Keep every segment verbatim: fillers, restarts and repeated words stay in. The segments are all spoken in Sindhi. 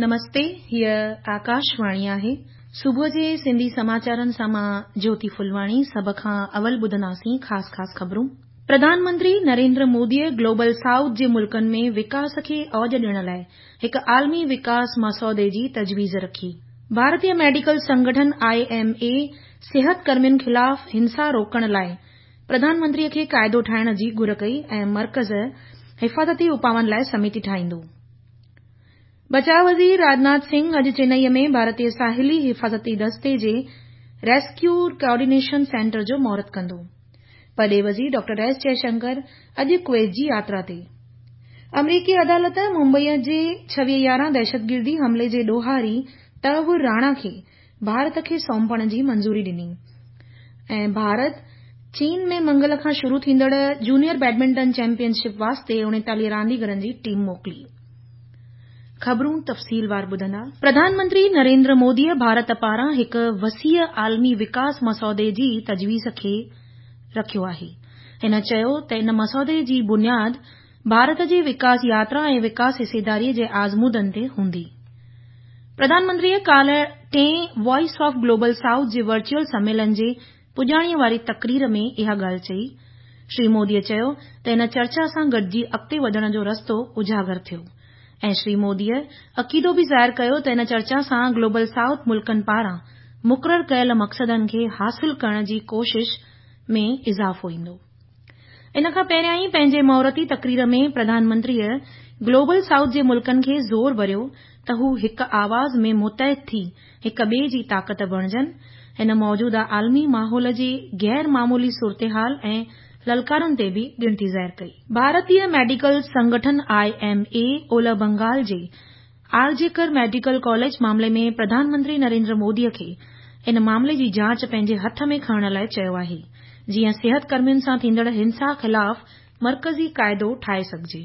نمستي، هيء آڪاشواڻي آهي. صبح جي سنڌي سماچارن سان مان جيوتي ڦلواڻي. سڀ کان اول ٻڌنداسين خاص خاص خبرون. پرڌان منتري نريندر موديء گلوبل سائوٿ جي ملڪن ۾ وڪاس کي اوج ڏيڻ لاء هڪ عالمي وڪاس مسودي جي تجويز رکي. ڀارتيه ميڊيڪل سنگٺن I M اي صحت ڪرمين خلاف هنسا روڪڻ لاء پرڌان منتريء کي قاعدو ٺاهڻ جي گهر ڪئي ۽ مرڪز حفاظتي اپائن لاء سميتي ٺاهيندو. بچاء وزير راجناٿ سنگهه اڄ چنئي ۾ ڀارتيه ساحلي حفاظتي دستي جي ريسڪيو ڪوآرڊينيشن سينٽر جو مهورت ڪندو. پرڏيهي وزير ڊاڪٽر ايس جئشنڪر اڄ ڪويت جي ياترا تي. آمريڪي عدالت ممبئي جي ڇويهه يارهن دهشتگردي حملي جي ڏوهاري تهور راڻا کي ڀارت کي سونپڻ جي منظوري ڏني. ۽ ڀارت چين ۾ منگل کان شروع ٿيندڙ جونيئر بيڊمنٽن چيمپيئن شپ واسطي اڻيتاليهه رانديگرن جي ٽيم موڪلي. خبرون تفصيلوار ٻڌندا. پرڌان منتري نريندر موديء ڀارت پاران هڪ وسيع عالمي وڪاس مسودي جي تجويز کي رکيو آهي. هن چيو ته ان مسودي جي بنياد ڀارت جي وڪاس ياترا ۽ وڪاس حصيداريء جي آزمودن تي هوندي. پرڌان منتريء ڪالهه ٽئين وائس آف گلوبل سائوٿ جي ورچوئل سميلن جي پڄاڻيء واري تقرير ۾ اها ڳالهه چئي. شري موديء چيو ته ان چرچا سان گڏجي اڳتي وڌڻ جو رستو اجاگر ٿيو ۽ شري موديء عقيدو به ظاهر ڪيو ته ان چرچا سان گلوبل سائوٿ ملڪن پاران مقرر ڪيل مقصدن کي حاصل ڪرڻ جي ڪوشش ۾ اضافو ايندو. ان کان پهريائين پنهنجي مهورتي تقرير ۾ پرڌان منتريء گلوبل سائوٿ جي ملڪن کي زور ڀريو ته هو هڪ آواز ۾ متحد ٿي هڪ ٻئي جي طاقت بڻجن. هن موجوده عالمي ماحول جي غير معمولي صورتحال ۽ للڪارن تي به ڳڻتي ظاهر ڪئي. ڀارتيه ميڊيڪل سنگٺن I M اي اولهه بنگال جي آرجيڪر ميڊيڪل ڪاليج معاملي ۾ پرڌان منتري نريندر موديء کي ان معاملي جي جاچ پنهنجي هٿ ۾ کڻڻ لاء چيو آهي، جيئن صحت ڪرمين سان ٿيندڙ هنسا خلاف مرڪزي قاعدو ٺاهي سگهجي.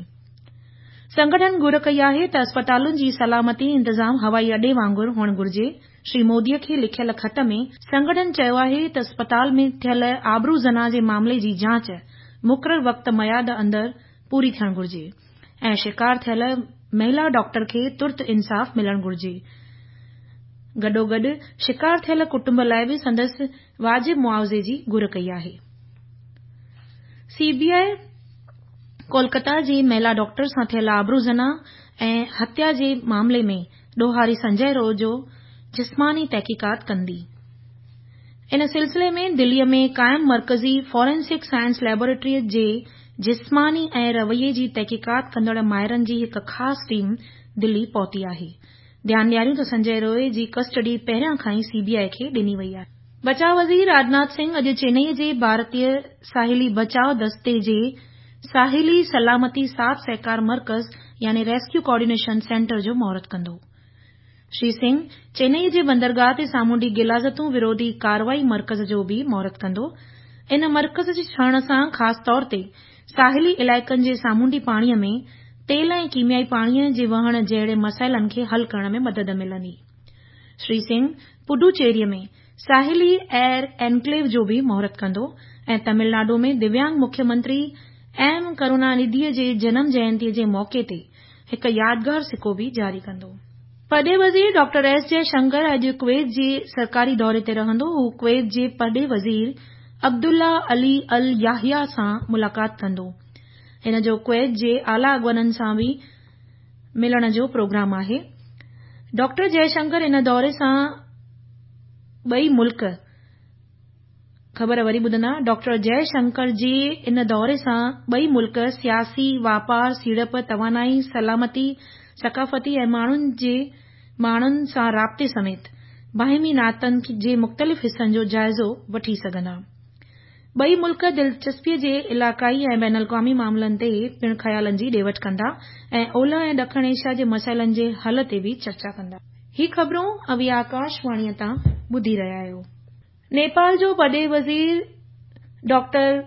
سنگٺن گهر ڪئي آهي ته اسپتالن جي سلامتي انتظام هوائي اڏي وانگر هئڻ گهرجي. شري موديء کي لکيل خط ۾ سنگٺن چيو آهي ته اسپتال ۾ ٿيل آبرو زنا جي معاملي جي جاچ مقرر وقت ميعاد اندر پوري ٿيڻ گهرجي ۽ شڪار ٿيل مهلا ڊاڪٽر کي ترت انصاف ملڻ گهرجي. گڏوگڏ شڪار ٿيل ڪٽنب لاء به سندس واجب معاوضي جي گهر ڪئي آهي. سي بي I Kolkata جي مهلا ڊاڪٽر سان ٿيل آبرو زنا ۽ هتيا جي معاملي ۾ ڏوهاري سنجي روءِ جو جسماني تحقيقات ڪندي. ان سلسلي ۾ دليء ۾ قائم مرڪزي فارينسڪ سائنس ليبارٽريء جي جسماني ۽ رويي جي تحقيقات ڪندڙ ماهرن جي هڪ خاص ٽيم دلي پهتي آهي. ڌيان ڏياريون ته سنجي روءِ جي ڪسٽڊي پهريان کان ئي سي بي I کي ڏني وئي آهي. بچاء وزير راجناٿ سنگهه اڄ چنئي جي ڀارتيه ساحلي بچاء دستي جي ساحلي سلامتي ساٿ سهڪار مرڪز يعني ريسڪيو ڪوآرڊينيشن سينٽر جو مهورت ڪندو. شري سنگهه چنئي جي بندرگاهه تي سامونڊي غلاظتون وروڌي ڪارروائي مرڪز جو به مهورت ڪندو. ان مرڪز جي ٺهڻ سان خاص طور تي ساحلي علائقن جي سامونڊي پاڻيء ۾ تيل ۽ ڪيميائي پاڻيء جي وهڻ جهڙي مسئلن کي حل ڪرڻ ۾ مدد ملندي. شري سنگهه پڊوچيريء ۾ ساحلي ايئر انڪليو جو به مهورت ڪندو ۽ تامل ناڊو ۾ دويانگ مکيه منتري ايم ڪرونانڌيء جي جنم جينتيء جي موقعي تي هڪ يادگار سڪو به جاري ڪندو. پرڏيهي وزير ڊاڪٽر ايس جئشنڪر اڄ ڪويت جي سرڪاري دوري تي رهندو. هو ڪويت جي پرڏيهي وزير عبدالله علي ال ياحيٰ سان ملاقات ڪندو. هن جو ڪويت جي اعليٰ اڳواڻن سان به ملڻ جو پروگرام آهي. ڊاڪٽر جئشنڪر ان دوري سان ٻئي ملڪ خبر وري ٻڌندا. ڊاڪٽر جئشنڪر جي ان دوري سان ٻئي ملڪ سياسي، واپار، سيڙپ، توانائي، سلامتي، ثقافتي ۽ ماڻهن جي ماڻهن سان رابطي سميت باهمي ناتن جي مختلف حصن جو جائزو وٺي سگهندا. ٻئي ملڪ دلچسپيء جي علائقائي ۽ بين الاقوامي معاملن تي پڻ خيالن جي ڏي وٺ ڪندا ۽ اولهه ۽ ڏکڻ ايشيا جي مسئلن جي حل تي به چرچا ڪندا. هي خبرون اوهين آڪاشواڻيء تان ٻڌي رهيا آهيو. نيپال جو پرڏيهي وزير ڊاڪٽر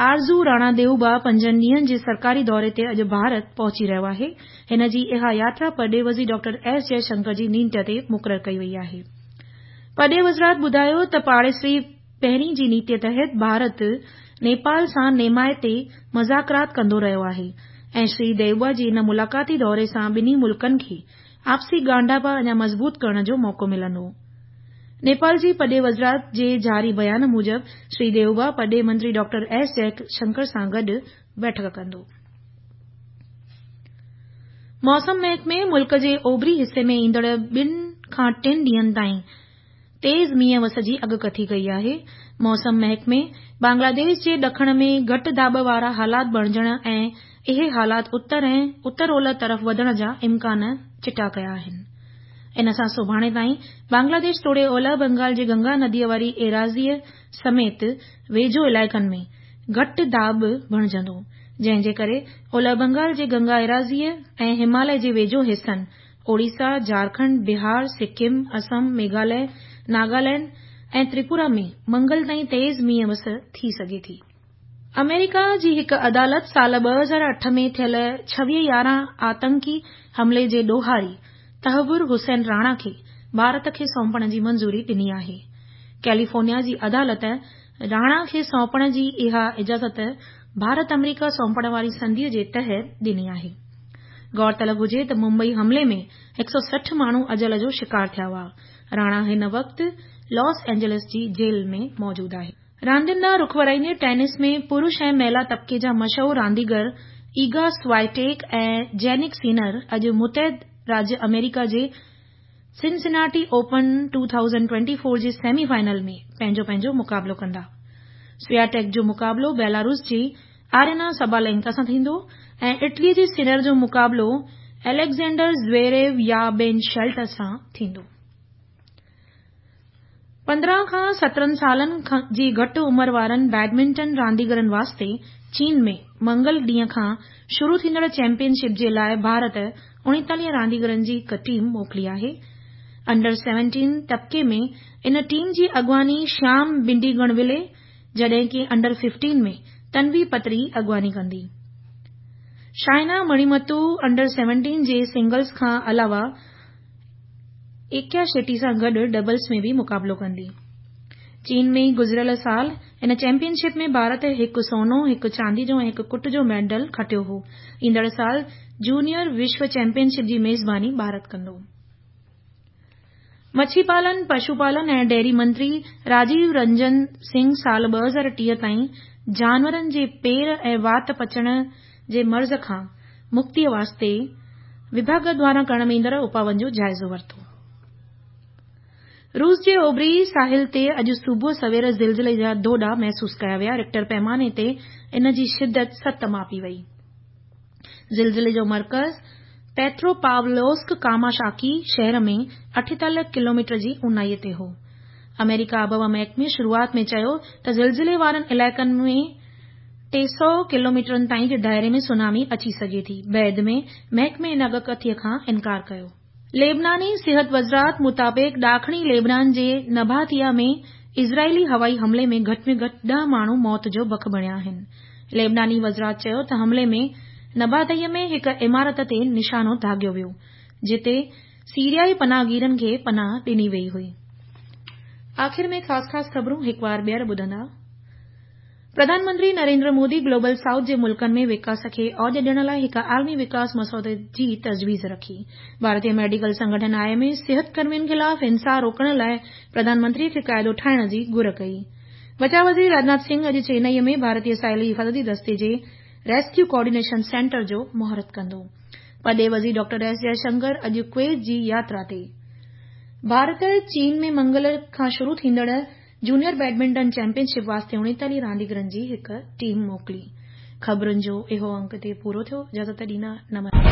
آرزو راڻا ديوبا پنجن ڏينهن جي سرڪاري دوري تي اڄ ڀارت پهچي رهيو آهي. هن جي اها ياترا پرڏيهي وزير ڊاڪٽر ايس جئشنڪر جي نينڍ تي مقرر ڪئي وئي آهي. پرڏيهي وزارت ٻڌايو ته پاڙيسري پهرين جي نيتيء تحت ڀارت نيپال سان نيمائتي مذاڪرات ڪندو رهيو آهي ۽ شري ديوبا جي ان ملاقاتي دوري سان ٻنهي ملڪن کي آپسي ڳانڍاپا اڃا مضبوط ڪرڻ جو موقعو ملندو. نيپال جي پرڏيهه وزارت جي جاري بيان موجب شري ديوبا پرڏيهه منتري ڊاڪٽر ايس جئشنڪر سان گڏ بيٺڪ ڪندو. موسم محڪمي ملڪ جي اوڀري حصي ۾ ايندڙ ٻن کان ٽن ڏينهن تائين تيز مينهن وس جي اڳڪٿي ڪئي آهي. موسم محڪمي بنگلاديش جي ڏکڻ ۾ گهٽ داٻ وارا حالات بڻجڻ ۽ اهي حالات اتر ۽ اتر اولهه طرف وڌڻ جا امڪان چٽا ڪيا آهن. ان سان سڀاڻي تائين بنگلاديش توڙي اولهه بنگال جي گنگا نديء واري ايراضيء سميت ويجهو علائقن ۾ گهٽ داٻ بڻجندو، جنهن جي ڪري اولهه بنگال جي گنگا ايراضيء ۽ هماليه جي ويجهو حصن اوڙيسا، جهارکنڊ، بهار، سڪم، اسم، ميگهاليه، ناگالينڊ ۽ تريپورا ۾ منگل تائين تيز مينهن وس ٿي سگهي ٿي. آمريڪا جي هڪ عدالت سال ٻه هزار اٺ ۾ ٿيل ڇويهه يارهن آتنڪي حملي جي ڏوهاري تهور حسين راڻا کي ڀارت کي سونپڻ جي منظوري ڏني آهي. ڪيليفورنيا جي عدالت راڻا کي سونپڻ جي اها اجازت ڀارت آمريڪا سونپڻ واري سنڌيء جي تحت ڏني آهي. غور طلب هجي ته ممبئي حملي ۾ هڪ سؤ سٺ ماڻهو اجل جو شڪار ٿيا هئا. راڻا هن وقت لاس اينجلس جي جيل ۾ موجود آهي. راندين ڏانهن رخ ورائيندي ٽينس ۾ پرش ۽ مهلا طبقي جا مشهور رانديگر ايگا سوائٽيڪ ۽ جينڪ سينر اڄ متحده راجيه آمريڪا جي سنسناٽي اوپن ٻه هزار چوويهه جي سيمي فائنل ۾ پنهنجو پنهنجو مقابلو ڪندا. سوياٽيڪ جو مقابلو بيلاروس جي آرينا سبالينڪا سان ٿيندو ۽ اٽلي جي سينر جو مقابلو اليگزينڊر زويريو يا بين شيلٽن سان ٿيندو. پندرهن کان سترهن سالن جي گهٽ عمر وارن بيڊمنٽن رانديگرن واسطي چين ۾ منگل ڏينهن کان شروع ٿيندڙ چيمپيئن شپ جي لاءِ ڀارت اڻيتاليهه رانديگرن جي هڪ ٽيم موڪلي آهي. انڊر سيونٽين طبقي ۾ ان ٽيم جي اڳواڻي شيام بنڊيگڻولي جڏهن ڪه انڊر ففٽين ۾ تنوي پتري اڳواڻي ڪندي. شائنا مڻيمتو انڊر سيونٽين جي سنگلز کان علاوه ايڪيا شيٽي سان گڏ ڊبلز ۾ به مقابلو ڪندي. چين ۾ گذريل سال ان چيمپيئن شپ ۾ ڀارت هڪ سونو، هڪ چاندي جو ۽ هڪ ڪٽ جو ميڊل کٽيو هو. ايندڙ سال جونيئر وشو چيمپيئن شپ جي ميزباني ڀارت ڪندو. مڇي پالن، پشو پالن ۽ ڊيري منتري راجيو رنجن سنگهه سال ٻه هزار ٽيهه تائين جانورن جي پير ۽ وات پچڻ جي مرض کان مڪتيء واسطي وڀاڳ دواران ڪرڻ ۾ ايندڙ اپائن جو جائزو ورتو. روس جي اوڀري ساحل تي اڄ صبح سوير زلزلي جا ڌوڏا محسوس ڪيا ويا. رڪٽر پيماني تي ان جي شدت ست ماپي وئي. زلزلي جو مرڪز پيتروپاولوسڪ ڪاماشاڪي شهر ۾ اٺيتاليهه ڪلوميٽر جي اونهائي تي هو. آمريڪا آبهوا محڪمي شروعات ۾ چيو ته زلزلي وارن علائقن ۾ ٽي سؤ ڪلوميٽرن تائين جي دائري ۾ سونامي اچي سگهي ٿي. بعد ۾ محڪمي ان اڳڪٿيء کان انڪار ڪيو. ليبناني صحت وزارت مطابق ڏاکڻي ليبنان جي نباتيه ۾ اسرائيلي هوائي حملي ۾ گهٽ ۾ گهٽ ڏهه ماڻهو موت جو بک بڻيا آهن. ليبناني وزارت چيو ته حملي ۾ نباتيه ۾ هڪ عمارت تي نشانو داغيو ويو، جتي سيريائي پناهگيرن کي پناهه ڏني وئي هئي. آخر ۾ خاص خاص خبرون هڪ وار ٻيهر ٻڌندا. پرڌان منتري نريندر مودي گلوبل سائوٿ جي ملڪن ۾ وڪاس کي اوج ڏيڻ لاءِ هڪ عالمي وڪاس مسودي جي تجويز رکي. ڀارتيه ميڊيڪل سنگٺن I M اي صحت ڪرمين خلاف هنسا روڪڻ لاءِ پرڌان منتري کي قاعدو ٺاهڻ جي گهر ڪئي. بچاء وزير راجناٿ سنگهه اڄ چنائي ۾ ڀارتيه ساحلي حفاظتي دستي جي ريسڪيو ڪوآرڊينيشن سينٽر جو مهورت ڪندو. پرڏيهي وزير ڊاڪٽر ايس جئشنڪر اڄ ڪويت جي ياترا تي. ڀارت چين ۾ منگل کان شروع ٿيندڙ جونيئر بيڊمنٽن چيمپيئن شپ واسطي اڻيتاليهه رانديگرن جي هڪ ٽيم موڪلي. خبرن جو اهو انڪ هتي پورو ٿيو. اجازت ڏيندا. نمسڪار.